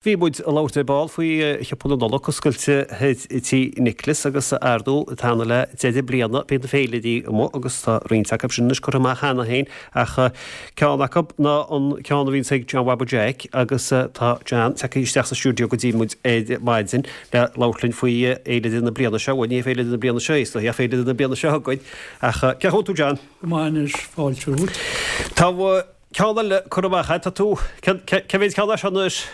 Bhí muid ag labhairt ar ball faoi shiopa na Nollag oscailte i Tí Nicholas agus ar ndóigh ag teannadh le deireadh bliana bíonn na féilirí amuigh agus tá roinnt acu sin anois curtha amach cheana féin ach ceann acu ná an ceann a bhíonns ag John Bhaba Jeaic agus tá John tagtha isteach sa stiúideo go dtí muid ar maidin le labhairt linn faoi fhéilire na bliana seo, bhuel ní féilire na bliana seo é is dóichí ach féilire na bliana seo chugainn ach cén chaoi a bhfuil tú John? Go maith anois, fáilte romhat. Tá Ceann eile curtha amach agat, tá tú, cé mhéad ceann é seo anois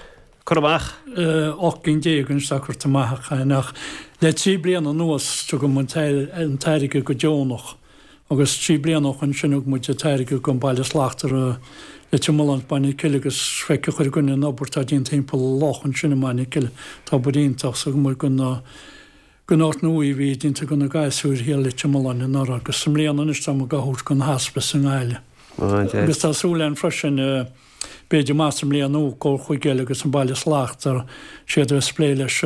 curtha amach? 18 cinn anois atá curtha amach againn ach le 3 bliana anuas tugann muid an t-airgead go deonach agus 3 bliana ó shoin sin thug muid an t-airgead don Baile Slachtmhar i Leitir Mealláin is Baile na Cille agus feiceann chuile dhuine an obair atá déanta timpeall an loch ansin i mBaile na Cille. Tá obair iontach so thug muid go na Gon áit nua a bhí déanta go na gasúir thiar Leitir Mealláin anuraidh agus i mbliana anois tá muid á thabhairt gon Hospice i nGaillimh. Agus tá súil againn freisin b'fhéidir amach sa mbliain nua dul chuig eile agus an Baile Slachtmhar siad a bheas ag plé leis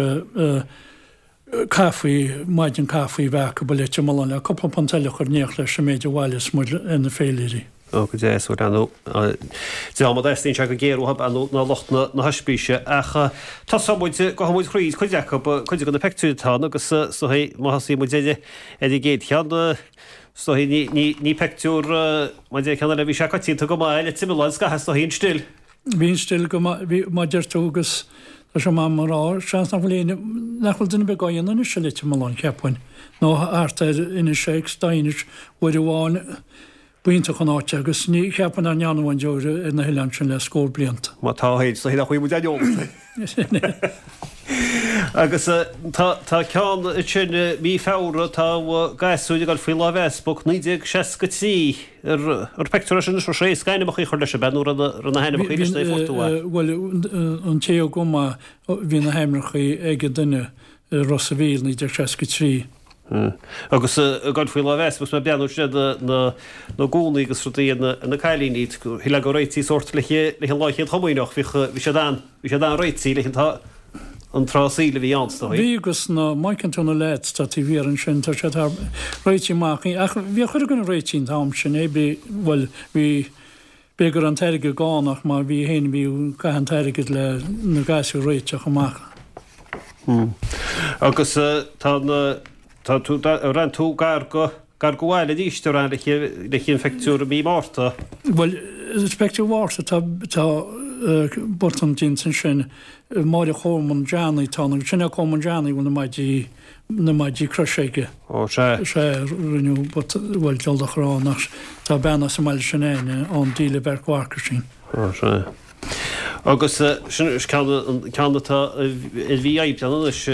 caife, maidin caife a bheith acu i Leitir Mealláin le cúpla punt eile a chur in éineacht leis an méid a bhaileos muid ar na féilirí. Ó, go deas, bhuel, ar ndóigh, dream a dteastaíonn sé go géar uathu ar ndóigh ná lucht na hoispíse. Ach tosóidh muid, gabhfaidh muid thríd cuid acu, cuid de na peictiúir atá ann agus is dóigh má thosaíonn muid ar ar an gcéad cheann, is dóigh ní, ní, ní peictiúr, mar deir ceann eile, bhí sé coitianta go maith le Leitir Mealláin scaitheamh is dóigh an stil. Bhí an stil go maith, bhí, mar deir tú agus tá sé maith mar rá, seans nach bhfuil éinne, nach bhfuil duine ar bith dhá dhéanamh anois i Leitir Mealláin, cheapfainn, nó thart ar Inis X, Daighinis, uair amháin, B'iontach an áit é agus ní cheapfainn nach ndearnadh aon deoir ar na hoileáin sin le scór blianta. Má tá féin, is dóigh nach bhfuil muid ar eolas. Agus tá tá ceann ansin mí Feabhra, tá gasúir ag dul faoi láimh easpag, 1963, ar ar peictiúr é sin anois, raibh sé éasca ainmneacha a chur leis, ab ea, nó raibh na hainmneacha leis na fuair tú é? Bhuel, an té a thug é, bhí na hainmneacha ag an duine i Ros a' Mhíl, 1963. Agus ag dul faoi láimh easpaig, agus mé ag breathnú ansin ar na na gúnaí agus rudaí ar na cailíní, shílfeá go réití sórt le le lá Chéad Chomaoineach, bhíodh, bhí siad an, bhí siad an-réití leis an an tráth saoil a bhí ann, is dóigh. Bhí agus na, má fheiceann tú na leaids atá taobh thiar ansin, tá siad thar, réití amach, ach bhíodh chuile dhuine réití an t-am sin, é bhí, bhuel, bhí, B'fhéidir go raibh an t-airgead gann ach má bhí féin bhí caitheadh an t-airgead le na gasúir a réiteach amach. Agus tá na, tá tú, rinne tú gar go, gar go bhaile arís a rinne le le an phictiúr i mí Márta. Bhuel, is pictiúr Mhárta tá, tá botún déanta ansin, Máire Chormain Johnny atá ann agus sin é Cormac Johnny a bhfuil na maidí, na maidí croise aige. Ó, sea. Sea, rinneadh, bhuel, diabhal de chor ann ach tá bean as an mbaile sin Áine ann, díle Bheairtle Mharcaisín. Ó, sea. Agus sin ceann, ceann atá ar mhí Aibreán anois,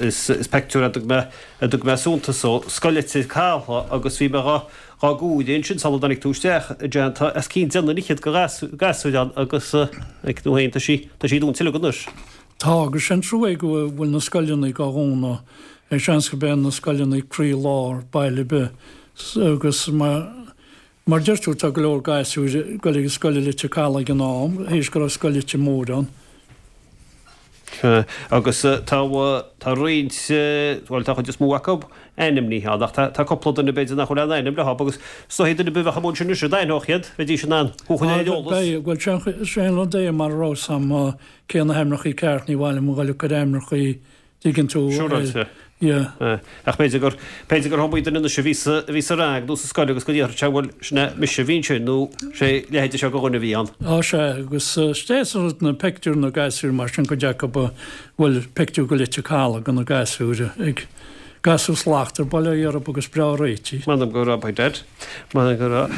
is, is peictiúr a dtug mé, a dtug mé suntas dó, Scoil Leitir Cathala agus bhí mé dhá, dhá gcomhaireamh ansin sula dtáinig tú isteach, a John, tá os cionn 10 n-fhichead de ghasúir ann agus, ag tú féin, tá sí, tá sí dúnta uilig anois. Tá, agus sé'n trua é go bhfuil na scoileanna dhá dhúnadh. Seans go b'é na scoileanna croí lár baile ar bith. Agus mar mar deir tú tá go leor gasúir ag goil ag an scoil i Leitir Cathala ag an am, théis go raibh scoil Leitir Móir ann. Sea, agus tá tá roinnt, bhuel tá an chuid is mó acu ainmnithe ann, ach tá cúpla duine b'fhéidir nach bhfuil aon ainm leo agus is dóichí duine ar bith a bheadh amuigh ansin anois d'aithneodh iad, bheidís in ann thú a chur ar eolas. Beidh, bhuel sé an rud é mar a raibh 's a'm cé na hainmneachaí ceart, ní mhaith liom a dhul ag cur ainmneachaí, dtuigeann tú, Siúráilte. Yeah. Ach b'fhéidir gur, b'fhéidir gur iomaí duine anois a bhí sa, a bhí sa rang nó sa scoil agus go ndéarfadh sé bhuel, sin é mise a bhí ansin nó sé leithéide seo de dhuine a bhí ann. Á sea, agus is rud na peictiúir na gasúir mar sin cuid acu a bhfuil peictiúr go Leitir Cathala de na gasúir ag gasúr slachtmhar bail ó Dhia orthu agus breá réitithe. M'anam go raibh, by dad. M'anam go raibh.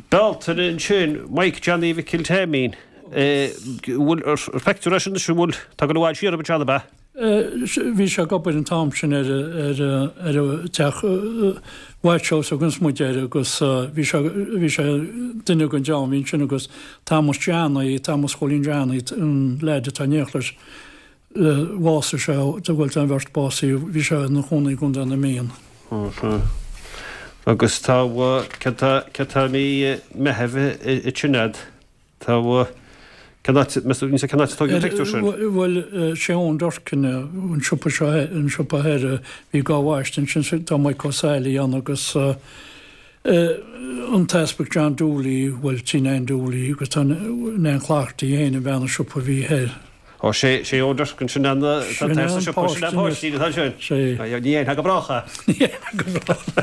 Bealtaine ansin, Mike Johnny Mhicil Taimín. Bhfuil ar pheictiúr é sin anois an bhfuil tá go bhfuil siar ar an ab ea? Bhí sé ag obair an t-am sin ar ar ar an teach White House agus muid air agus bhí sé bhí sé duine den dream bhí ansin agus Thomas Johnny, Thomas Chóilín Johnny an leaid atá in éineacht leis bhásaigh sé bhuel tá an bheirt básaithe bhí sé ina chónaí i gContae na Mí. Agus tá cad tá cad tá mí Meitheamh i Trinidad Tá, cén áit, meas tú, cén áit a tógadh an pictiúr sin? Bhuel, sé Eoin Durkin, an siopa seo, an siopa thoir, bhí dhá bhaiste ansin, tá Mike O'Salley ann agus an tEaspag John Dooley, bhuel, tí Nan Dooley agus tá Nan Cloherty féin, an bhean an siopa a bhí thoir. Ó, sé, sé Eoin Durkin, sin an, tá an sa siopa, sin an páistín atá ansin. Sé. Ní dhéanfá go brách é. Ní dhéanfá go brách é.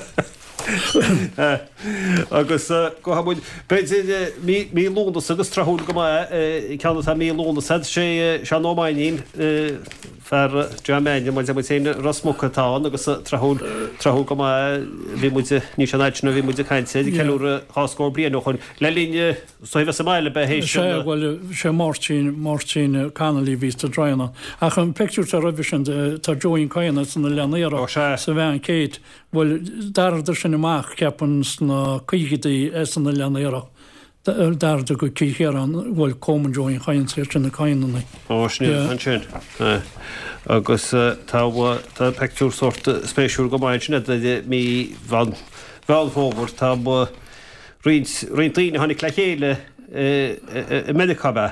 Agus gabhfaidh muid, b'fhéidir, mí, mí Lúnasa agus tráthúil go maith, ceann atá mí Lúnasa, sé Seán Ó Mainnín, fear John Mannion, muid muid féin Ros Muc atá ann agus tráthúil, tráthúil go maith, bhí muid, ní sin an fhad sin ó bhí muid ag caint air, ag ceiliúradh dhá scór bliain ó shoin. Le linn, so bheith sa mbaile ba é sin. Sea, bhuel, sé Máirtín, Máirtín Connolly a bhí sa Droighneán. Ach an pictiúr atá roimhe sin, tá Joeín Kyne san Oileán Iarthar sa veain Kate. Bhuel, d'athrádar sin amach, ceapaim, sna caogaidí san Oileán Iarthar. D'athrádar go Cill Chiaráin, bhuel, Coleman Joeín Kyne, iad sin na Kyneannaí. Ó, sin iad ansin. Agus tá, tá pictiúr sórt spéisiúil go maith ansin idir mí Mheán Fómhair, tá roinnt, roinnt daoine a tháinig le chéile i Meiriceá, ab ea?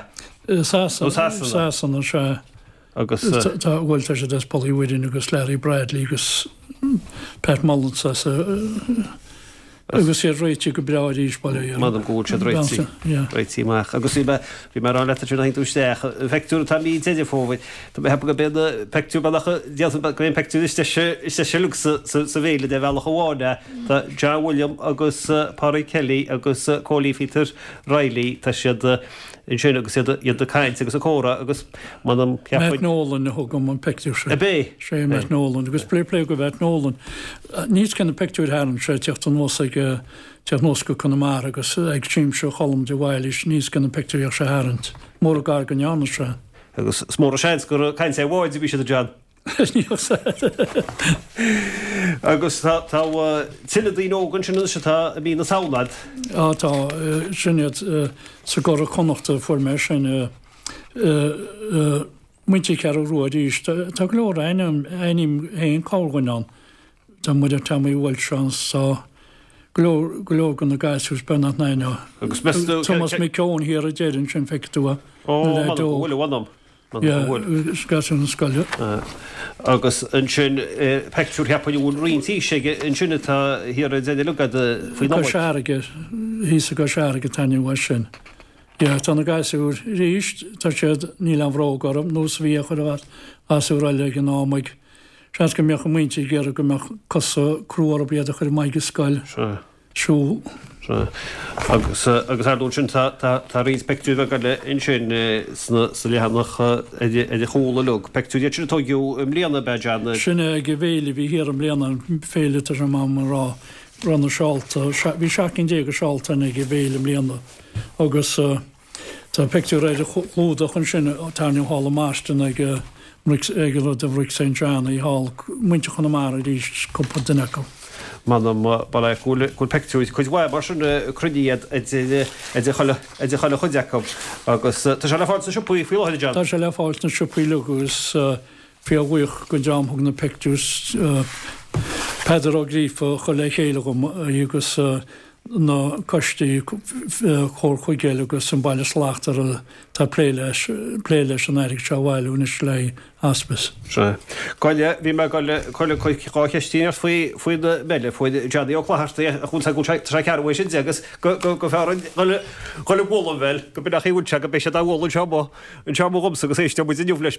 I Sasana. Sasana. Sasana, sea. Agus. Tá, bhuel, tá siad as Poll Uí Mhuirinn agus Larry Bradley agus Pat Mullins as agus iad réitithe go breá arís, bail ó Dhia orthu. M'anam go bhfuil siad réitithe, réitithe amach. Agus bhí mé, bhí mé ag rá leat ansin a thagann tú isteach, an pictiúr atá mí Deireadh Fómhair, tá mé ag ceapadh gurb é an pictiúr bealach, d'fhéadfainn gurb é an pictiúr is deise, is deise uilig sa, sa, sa bhféile de bhealach amháin é. Tá John William agus Pádraig Kelly agus Cóilí Phíotair Reilly, tá siad, ansin agus iad iad ag caint agus ag comhrá agus m'anam cheapfainn. Matt Nolan a thug dom an pictiúr sin. Ab é? Sé Matt Nolan agus plé plé go Matt Nolan. Níos cé na pictiúir tharraing sé ag teacht anuas ag teacht anuas go Conamara agus ag Siamsa Cholm de Bhailís níos cé na pictiúir a bhíodh sé a tharraingt. Mór an gar go ndearna sé. Agus is mór an seans gur ag caint ar bháid a bhí siad a John. Agus tá tuilleadh daoine óga ansin anois atá i mí na Samhna. Á tá, sin iad sa gCuradh Connachta a fuair mé sin. Muintir Cheathrú Rua arís. Tá go leor ainm, aithním féin corrdhuine ann. Tá Muireann Tommy Walsh ann, tá go leor, go leor de na gasúir, Bernard Naino. Agus meas tú. Tomás McKeown thiar ag deireadh ansin, feicfidh tú é. Ó, m'anam go bhfuil, a mh'anam. Gasúr na scoile. Agus ansin pictiúr cheapfainn a bhfuil roinnt aois aige ansin atá thiar ag deireadh uilig faoi Nollaig. Cois Fharraige, thíos i gCois Fharraige an t-ainm uaidh sin. Yeah, tá na gasúir arís, tá siad, níl aon bhróg orthu, nós a bhí ag chuile ghasúr eile ag an am ag, seans go mbeadh a muintir ag iarraidh go mbeadh cosa crua orthu iad a chur amach ag scoil. Sea. siúl. Sea. Agus, agus ar ndóigh ansin tá, tá, tá roinnt pictiúir bheaga eile ansin sna, sa leathanach ar, ar a chúl uilig. Pictiúir iad sin a tóigeadh i mbliana, ab ea, John? Sin é ag an bhféile a bhí thiar i mbliana, an féile tá sé in am a rá, raibh na seálta, bhí 17 cinn de sheálta ann ag an bhféile i mbliana agus, Tá pictiúr ar an chlúdach ansin tarraingthe thall i mBoston ag ag an rud a Bhric St John í thall, muintir Chonamara arís, cúpla duine acu. M'anam bail ó Dhia go bhfuil go bhfuil pictiúir cuid mhaith mar sin cruinnithe idir idir chuile idir chuile chuid acu agus tá sé le fáil sna siopaí faoi láthair a John. Tá sé le fáil sna siopaí uilig agus fíorbhuíoch den dream a thug na pictiúir Peadar Ó Gríofa a chuir le chéile dhom agus na coistí Comhar Chuigéil agus an Baile Slachtmhar atá ag plé leis, plé leis an airgead seo a bhailiú anois le haghaidh Hospice. Sea. Goile, bhí mé ag dul cur dhá cheistín ort faoi, faoi na meile, faoi Johnny Ó Clochartaigh, ach bhfuil sé, tá sé cearr uaidh sin de agus go, go, go fearr an dhul, dhul ag bualadh an bheil, go mbeadh, go mbeidh siad á bhualadh anseo amuigh, anseo amuigh dhomsa agus éisteoidh muid inniu leis.